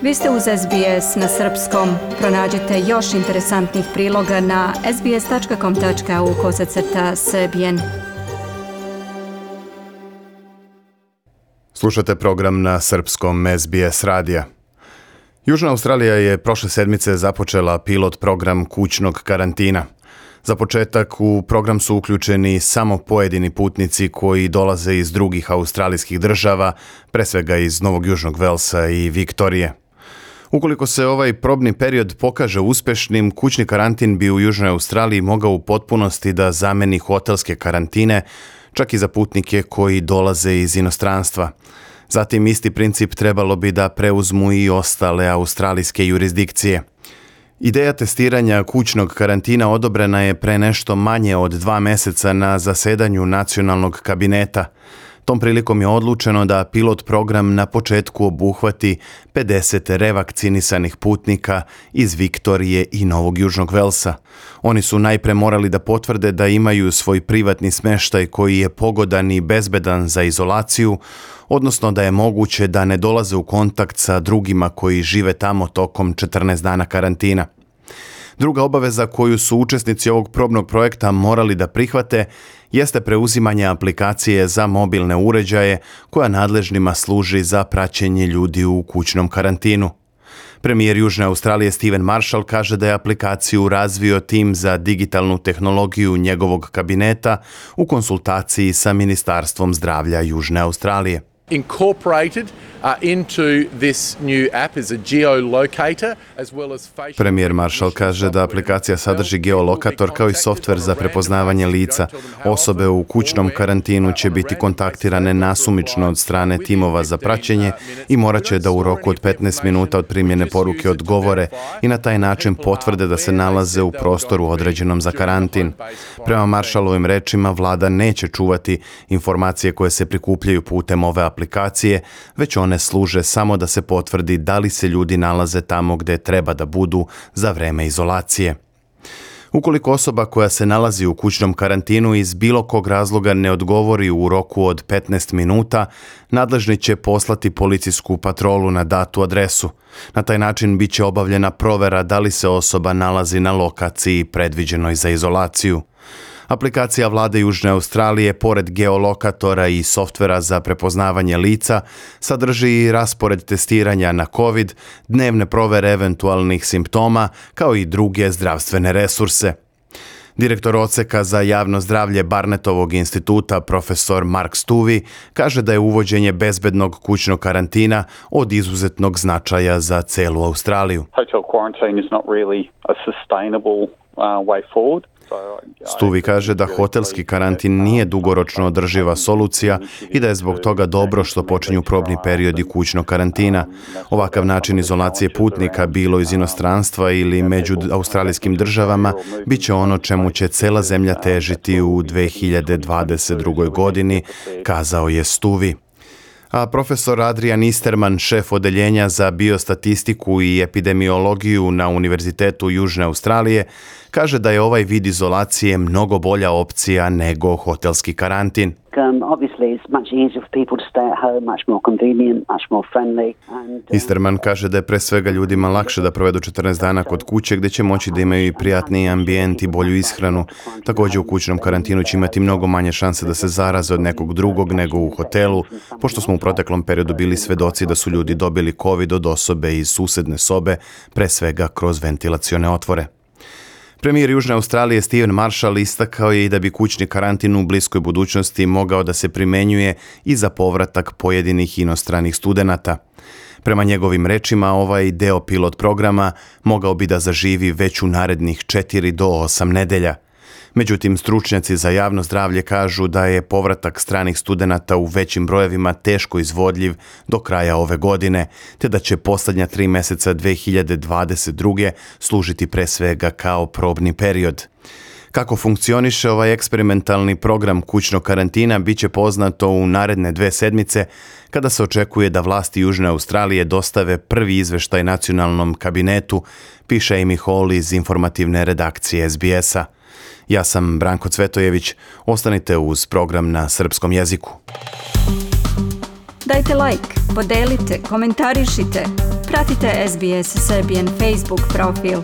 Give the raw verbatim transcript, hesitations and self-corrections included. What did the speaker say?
Vi ste uz S B S na srpskom. Pronađite još interesantnih priloga na sbs.com.au kosacrta srbijen. Slušate program na srpskom S B S radija. Južna Australija je prošle sedmice započela pilot program kućnog karantina. Za početak u program su uključeni samo pojedini putnici koji dolaze iz drugih australijskih država, pre svega iz Novog Južnog Velsa i Viktorije. Ukoliko se ovaj probni period pokaže uspešnim, kućni karantin bi u Južnoj Australiji mogao u potpunosti da zameni hotelske karantine, čak i za putnike koji dolaze iz inostranstva. Zatim isti princip trebalo bi da preuzmu i ostale australijske jurisdikcije. Ideja testiranja kućnog karantina odobrena je pre nešto manje od dva meseca na zasedanju nacionalnog kabineta. Tom prilikom je odlučeno da pilot program na početku obuhvati pedeset revakcinisanih putnika iz Viktorije i Novog Južnog Velsa. Oni su najpre morali da potvrde da imaju svoj privatni smeštaj koji je pogodan i bezbedan za izolaciju, odnosno da je moguće da ne dolaze u kontakt sa drugima koji žive tamo tokom četrnaest dana karantina. Druga obaveza koju su učesnici ovog probnog projekta morali da prihvate jeste preuzimanje aplikacije za mobilne uređaje koja nadležnima služi za praćenje ljudi u kućnom karantinu. Premijer Južne Australije Stephen Marshall kaže da je aplikaciju razvio tim za digitalnu tehnologiju njegovog kabineta u konsultaciji sa Ministarstvom zdravlja Južne Australije. Incorporated uh, into this new app is a geolocator as well as facial. Premijer Marshall kaže da aplikacija sadrži geolokator kao i softver za prepoznavanje lica. Osobe u kućnom karantinu će biti kontaktirane nasumično od strane timova za praćenje i morat će da u roku od petnaest minuta od primljene poruke odgovore i na taj način potvrde da se nalaze u prostoru određenom za karantin. Prema Marshallovim rečima, vlada neće čuvati informacije koje se prikupljaju putem ove aplikacije, već one služe samo da se potvrdi da li se ljudi nalaze tamo gde treba da budu za vreme izolacije. Ukoliko osoba koja se nalazi u kućnom karantinu iz bilo kog razloga ne odgovori u roku od petnaest minuta, nadležni će poslati policijsku patrolu na datu adresu. Na taj način biće obavljena provera da li se osoba nalazi na lokaciji predviđenoj za izolaciju. Aplikacija vlade Južne Australije, pored geolokatora i softvera za prepoznavanje lica, sadrži i raspored testiranja na COVID, dnevne provere eventualnih simptoma, kao i druge zdravstvene resurse. Direktor odseka za javno zdravlje Barnetovog instituta, profesor Mark Stuvey, kaže da je uvođenje bezbednog kućnog karantina od izuzetnog značaja za celu Australiju. Hotel quarantine is not really a sustainable uh, way forward. Stuvey kaže da hotelski karantin nije dugoročno održiva solucija i da je zbog toga dobro što počinju probni periodi kućnog karantina. Ovakav način izolacije putnika, bilo iz inostranstva ili među australijskim državama, bit će ono čemu će cela zemlja težiti u dve hiljade dvadeset drugoj godini, kazao je Stuvey. A profesor Adrian Easterman, šef odeljenja za biostatistiku i epidemiologiju na Univerzitetu Južne Australije, kaže da je ovaj vid izolacije mnogo bolja opcija nego hotelski karantin. Easterman kaže da je pre svega ljudima lakše da provedu četrnaest dana kod kuće gdje će moći da imaju i prijatniji ambijent i bolju ishranu. Također u kućnom karantinu će imati mnogo manje šanse da se zaraze od nekog drugog nego u hotelu, pošto smo u proteklom periodu bili svedoci da su ljudi dobili COVID od osobe iz susedne sobe, pre svega kroz ventilacione otvore. Premijer Južne Australije Stephen Marshall istakao je i da bi kućni karantin u bliskoj budućnosti mogao da se primenjuje i za povratak pojedinih inostranih studenata. Prema njegovim rečima, ovaj deo pilot programa mogao bi da zaživi već u narednih četiri do osam nedelja. Međutim, stručnjaci za javno zdravlje kažu da je povratak stranih studenata u većim brojevima teško izvodljiv do kraja ove godine, te da će posljednja tri meseca dve hiljade dvadeset druge služiti pre svega kao probni period. Kako funkcioniše ovaj eksperimentalni program kućnog karantina bit će poznato u naredne dve sedmice, kada se očekuje da vlasti Južne Australije dostave prvi izveštaj nacionalnom kabinetu, piše Amy Hall iz informativne redakcije S B S-a. Ja sam Branko Cvetojević. Ostanite uz program na srpskom jeziku. Dajte like, podelite, komentarišite. Pratite S B S Serbian Facebook profil.